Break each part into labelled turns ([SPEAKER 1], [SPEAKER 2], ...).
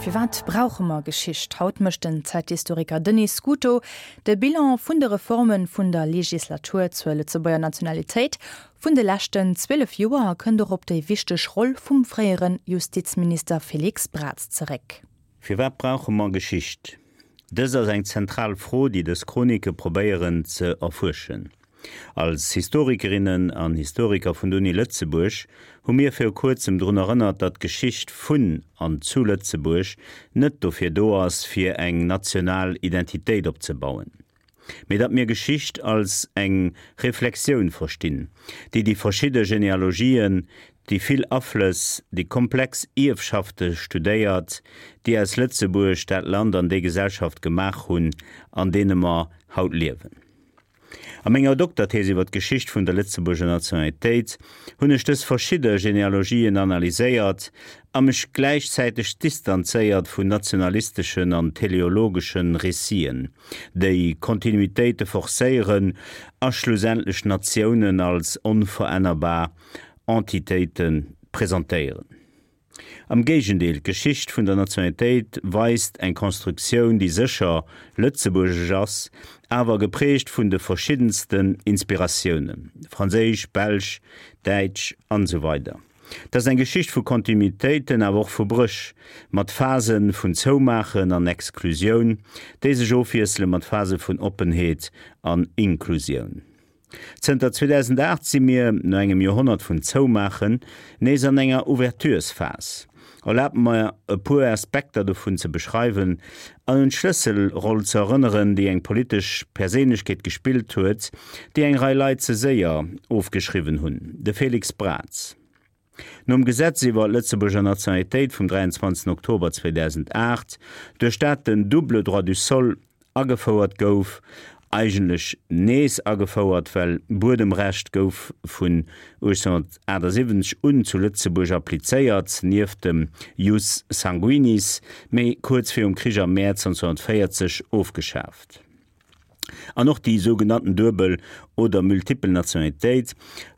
[SPEAKER 1] Firwat brauche mer Geschicht? Haut mécht den Zäithistoriker Denis Scuto de Bilan vun de Reforme vun der Legislatur zur Lëtzebuerger Nationalitéit vun de leschten 12 Joer a kënnt och op déi wichteg Roll vum fréiere Justizminister Félix Braz zeréck.
[SPEAKER 2] Firwat brauche mer Geschicht? Dëst ass eng zentral Fro, déi dës Chronike probéieren ze erfuerschen. Als Historikerinnen an Historiker vun der Uni Lëtzebuerg hu mir viru kuerzem drun erënnert, datt d'Geschicht vun an zu Lëtzebuerg net dofir do ass, fir eng national Identitéit opzebauen, mee datt mir Geschicht als eng Reflexioun verstinn, déi déi verschidde Genealogien, déi vill Aflëss, déi komplex Ierfschafte studéiert, déi aus Lëtzebuerg dat Land an déi Gesellschaft gemaach hunn, an deene mer haut liewen. A menger Dokterthees iwwer d'Geschicht vun der Lëtzebuerger Nationalitéit hunn ech dës verschidde Genealogien analyséiert a mech gläichzäiteg distanzéiert vun nationalisteschen an teleologesche Réciten, déi Kontinuitéite forcéieren a schlussendlech Natiounen als onverännerbar Entitéite presentéieren. Am Géigendeel, d'Geschicht vun der Nationalitéit weist eng Konstruktioun, déi sécher lëtzebuergesch ass, awer geprägt vun de verschiddensten Inspiratiounen, franséisch, belsch, däitsch an esou weider Et ass eng Geschicht vu Kontinuitéiten, awer och vu Bréch, mat Phase vun Zoumaachen an Exklusioun, déi sech ofwiessele mat Phase vun Oppenheet an Inklusioun. Zënter 2008 si mir, no engem Joerhonnert vun Zoumaachen, nees an enger Ouverturesphas. Erlaabt mer e puer Aspekter dovun ze beschreiwen an un d'Schlësselroll ze erënneren, déi eng politesch Perséinlechkeet gespillt huet, déi eng Rei Leit ze séier ofgeschriwwen hunn, de Félix Braz. Nom Gesetz iwwer d'Lëtzebuerger Nationalitéit vum 23 Oktober 2008, duerch dat den double droit du sol agefouert gouf, eigentlech nees agefouert, well Buedemrecht gouf vun 1878 un zu Lëtzebuerg applizéiert, nieft dem jus sanguinis, mee kuerz virum Krich am Mäerz 1940 ofgeschaaft. An och déi sougenannten duebel oder multipel Nationalitéit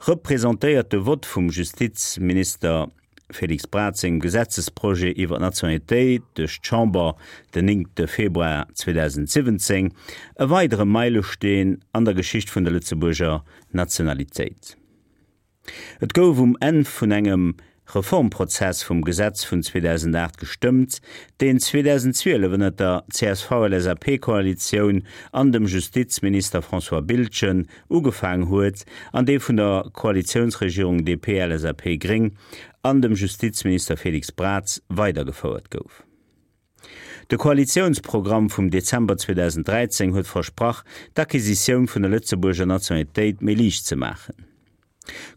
[SPEAKER 2] representéiert de Vott vum Justizminister Félix Braz sengem Gesetzesprojet iwwer d'Nationalitéit duerch d'Chamber den 9 Februar 2017 e weidere Meilesteen an der Geschicht vun der Lëtzebuerger Nationalitéit. Et gouf um Enn vun engem Reformprozess vum Gesetz vun 2008 gestëmmt, deen 2012 ënner der CSV-LSAP-Koalitioun an dem Justizminister François Biltgen ugefaang huet an dee vun der Koalitiounsregierung DP-LSAP-Gréng an dem Justizminister Félix Braz weidergefouert gouf. De Koalitiounsprogramm vum Dezember 2013 huet versprach, d'Acquisitioun vun der Lëtzebuerger Nationalitéit méi liicht ze maachen.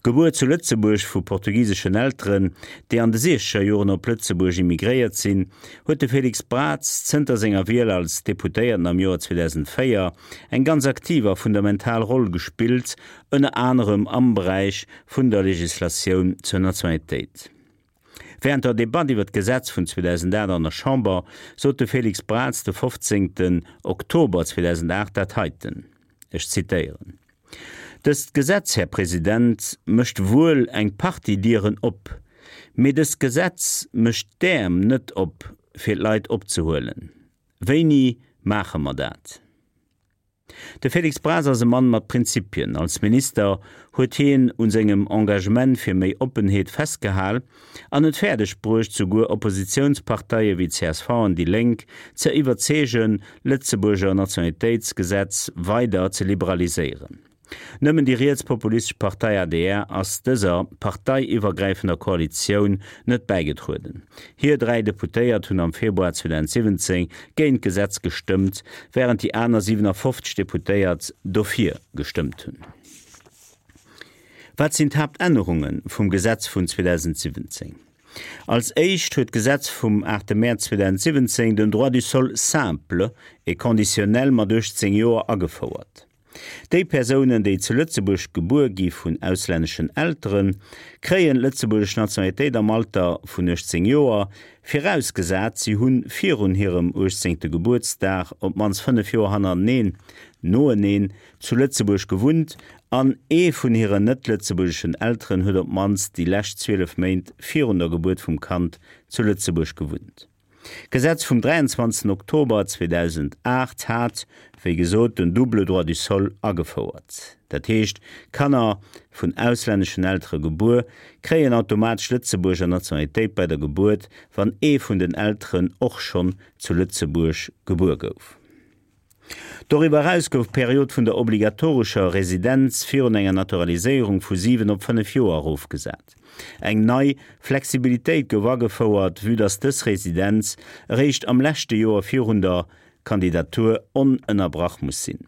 [SPEAKER 2] Gebuer zu Lëtzebuerg vu portugiseschen Elteren, déi an de siechzeger Joren op Lëtzebuerg immigréiert sinn, huet de Félix Braz zënter senger Wiel als Deputéierten am Joer 2004 eng ganz aktiv a fundamental Roll gespillt, ënner anerem am Beräich vun der Legislatioun zur Nationalitéit. Wärend der Debatt iwwer d'Gesetz vun 2008 an der Chamber sot de Félix Braz de 15 Oktober 2008 dat heiten, ech zitéieren, Dëst Gesetz, Här President, mécht wuel eng Partie Dieren op, mee dëst Gesetz mécht d'Äerm net op, fir d'Leit opzehuelen. Wéini maache mer dat? De Félix Braz ass e Mann mat Prinzipien. Als Minister huet hien un sengem Engagement fir méi Oppenheet festgehal an et fäerdeg bruecht, souguer Oppositiounsparteie wéi csv an déi Lénk ze iwwerzeegen, d'Lëtzebuerger Nationalitéitsgesetz weider ze liberaliséieren. Nëmmen déi rietspopulistesch Partei adr ass dëser parteiiwwergräifender Koalitioun net bäigetrueden. Hir 3 Deputéiert hunn am Februar 2017 géint d'Gesetz gestëmmt, wärend déi aner 57 Deputéiert dofir gestëmmt hunn. Wat sinn d'Haaptännerunge vum Gesetz vun 2017? Als éischt huet d'Gesetz vum 8 Mäerz 2017 den Droit du sol simple et conditionnel mat 18 Joer agefouert. Déi Persounen, déi zu Lëtzebuerg gebuer gi vun auslänneschen Elteren, kréien d'lëtzebuergesch Nationalitéit am Alter vun 18 Joer, virausgesat si hu virun hirem uechtzéngte Gebuertsdag op d'mannst 5 Joer hannereneen, noeneen, zu Lëtzebuerg gewunnt an ee vun hiren net-lëtzebuergeschen Elteren huet op d'mannst déi lescht 12 Méint virun der Gebuert vum Kand zu Lëtzebuerg gewunnt. D'Gesetz vum 23 Oktober 2008 hat, wéi gesot, den double droit du sol agefouert. Dat heescht, Kanner, vun auslänneschen Eltere gebuer, kréien automatesch Lëtzebuerger Nationalitéit bei der Gebuert, wann ee vun den Elteren och schonn zu Lëtzebuerg gebuer gouf. Doriwwer eraus gouf d'Period vun der obligatorescher Residenz virun enger Naturaliséierung vu 7 op 5 Joer erofgesat. Eng nei Flexibilitéit gouf agefouert, vue dass dës Residenz eréischt am leschte Joer virun der Kandidatur onënnerbrach muss sinn.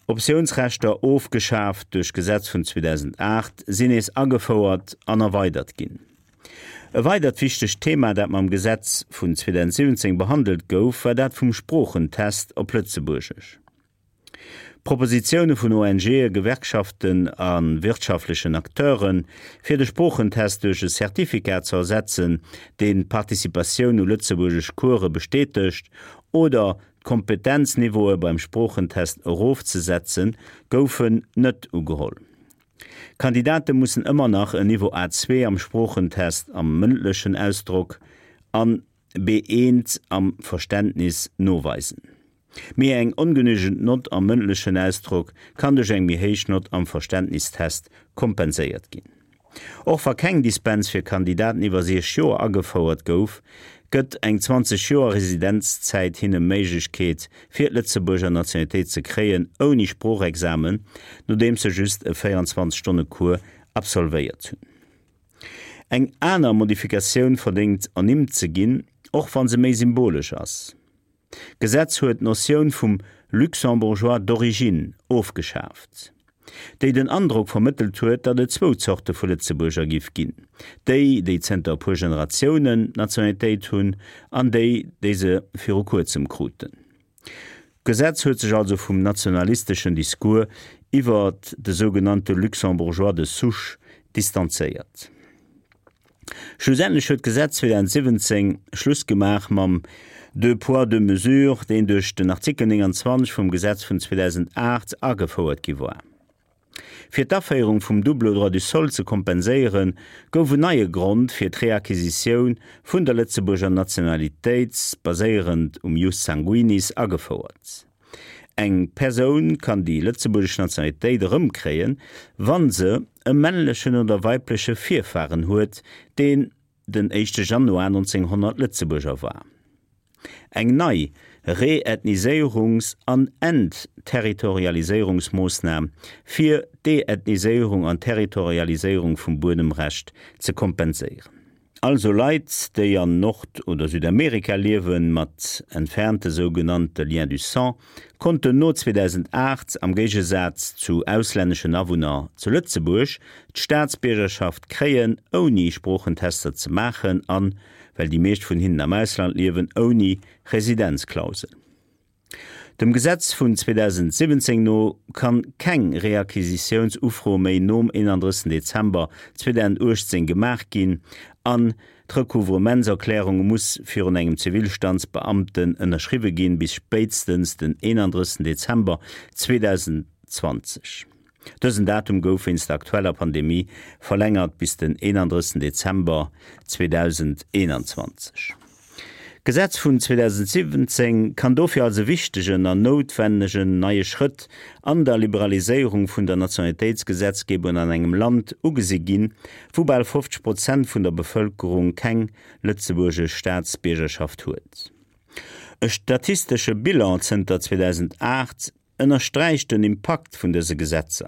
[SPEAKER 2] Optiounsrechter, ofgeschaaft duerch d'Gesetz vun 2008, sinn nees agefouert an erweidert ginn. E weidert wichtegt Thema, dat mam Gesetz vun 2017 behandelt gouf, war dat vum Sproochentest op Lëtzebuergesch. Propositioune vun ONGe, Gewerkschaften a wirtschaftlechen Acteuren, fir de Sproochentest duerch e Certificat ze ersetzen, deen d'Participatioun u lëtzebuergesch Course bestätegt, oder D'Kompetenzniveaue beim Sproochentest erofzesetzen, goufen net ugeholl. Kandidate mussen ëmmer nach en Niveau A2 am Sproochentest am mëndlechen Ausdrock an B1 am Verständnis noweisen. Mee eng ongenügend Nott am mëndlechen Ausdrock kann duerch eng méi héich Nott am Verständnistest kompenséiert ginn. Och wa keng Dispens fir Kandidaten iwwer 60 Joer agefouert gouf, gëtt eng 20 Joer Residenzzäit hinne Méiglechkeet fir d'Lëtzebuerger Nationalitéit ze kréien ouni Sproochexamen, nodeems se just e 24 Stonne Cours absolvéiert hunn. Eng aner Modifikatioun verdéngt ernimmt ze ginn, och wa se méi symbolesch ass. D'Gesetz huet d'Notioun vum Luxembourgeois d'origine ofgeschaaft, déi den Androck vermëttelt huet, datt et zwou Zorte vu Lëtzebuerger giff ginn, déi, déi zënter e puer Generatiounen d'Nationalitéit hunn, an déi, déi se viru kuerzem kruten. D'Gesetz huet sech also vum nationalisteschen Discours iwwer de sougenannte Luxembourgeois de souche distanzéiert. Schlussendlech huet d'Gesetz 2017 Schluss gemaach mam Deux poids, deux mesures, deen duerch den Artikel 29 vum Gesetz vun 2008 agefouert gi war. Fir d'Aféierung vum double droit du sol ze kompenséieren, gouf en neie Grond fir d'Reacquisitioun vun der Lëtzebuerger Nationalitéit, baséierend um Jus sanguinis, agefouert. Eng Persoun kann déi lëtzebuergesch Nationalitéit erëmkréien, wa se e männlechen oder weibleche Virfaren huet, deen den éischte Januar 1900 Lëtzebuerger war. Eng nei Reethniséierungs an Entterritorialiséierungsmoossnam, fir d'Deethniséierung an Territorialiséierung vum Buedemrecht ze kompenséieren. Also Leit, déi an Nord oder Südamerika liewen, mat entfernte sougenannte Liens du sang, konnten no 2008, am Géigesaz zu auslänneschen Awunner zu Lëtzebuerg, d'Staatsbiergerschaft kréien, ouni Sproochentester ze maachen an, well déi meescht vun hinnen am Ausland liewen, ouni Residenzklausel. Dem Gesetz vun 2017 no kann keng Reacquisitiounsufro méi nom 31 Dezember 2018 gemaach ginn an d'Recouvrement-Erklärung muss virun engem Zivilstandsbeamten ënnerschriwwe ginn bis spéitstens den 31 Dezember 2020. Dësen Datum gouf wéinst der aktueller Pandemie verlängert bis den 31 Dezember 2021. D'Gesetz vun 2017 kann dofir als e wichtegen an noutwennegen neie Schrëtt an der Liberaliséierung vun der Nationalitéitsgesetzgebung an engem Land ugesi ginn, wou bal 50 Prozent vun der Bevëlkerung keng lëtzebuergesch Staatsbiergerschaft huet. E statistesche Bilan zënter 2008 ënnersträicht den Impakt vun dëse Gesetzer.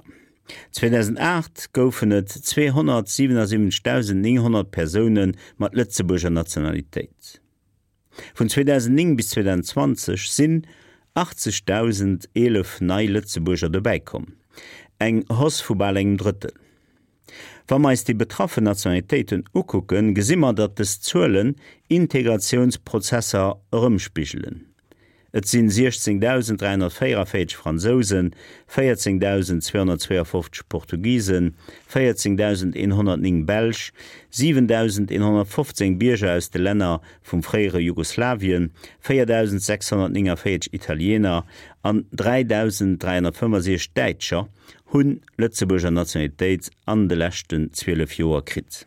[SPEAKER 2] 2008 goufen et 277.900 Persoune mat Lëtzebuerger Nationalitéit. Vun 2009 bis 2020 sinn 80.011 nei Lëtzebuerger dobäikomm, eng Hausse vu bal engem Drëttel. Wa mer eis déi betraffen Nationalitéiten ukucken, gesi mer, datt dës Zuelen Integratiounsprozesser erëmspigelen. Et sinn 16.344 Fransousen, 14.252 Portugisen, 14.109 Belsch, 7.115 Bierger aus de Länner vum fréiere Jugoslawien, 4.649 Italiener an 3.365 Däitscher hunn Lëtzebuerger Nationalitéit an de leschten 12 Joer kritt.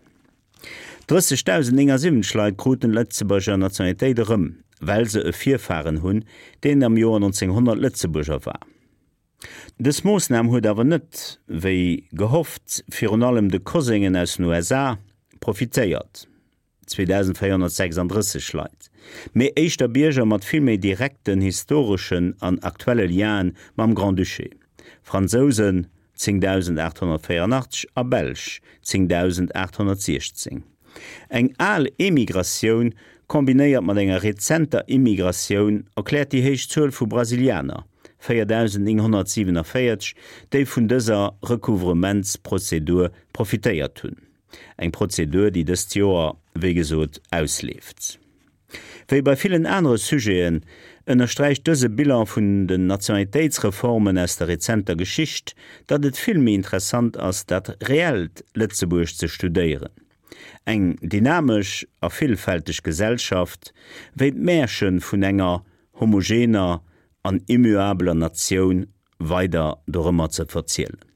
[SPEAKER 2] 30.079 Leit kruten d'Lëtzebuerger Nationalitéit erëm, well se e Virfaren hunn, deen am Joer 1900 Lëtzebuerger war. Dës Moossnam huet awer net, wéi gehofft, virun allem de Koséngen aus den USA profitéiert. 2.436 Leit, mee éischter Bierger mat vill méi direkten historeschen an aktuelle Lienen mam Grand-Duché, Fransousen, 10.884, a Belsch, 10.816. Eng al Emigratioun kombinéiert mat enger rezenter Immigratioun erkläert déi héich Zuel vu Brasilianer, 4.947, déi vun dëser Recouvrementsprozedur profitéiert hunn. Eng Prozedur, déi dëst Joer, wéi gesot, ausleeft. Wéi bei villen anere Sujeten ënnersträicht dëse Bilan vun den Nationalitéitsreformen aus der rezenter Geschicht, datt et vill méi interessant ass, dat reellt Lëtzebuerg ze studéieren, eng dynamesch a villfälteg Gesellschaft, wéi d'Märche vun enger homogener an immuabeler Natioun weider dorëmmer ze verzielen.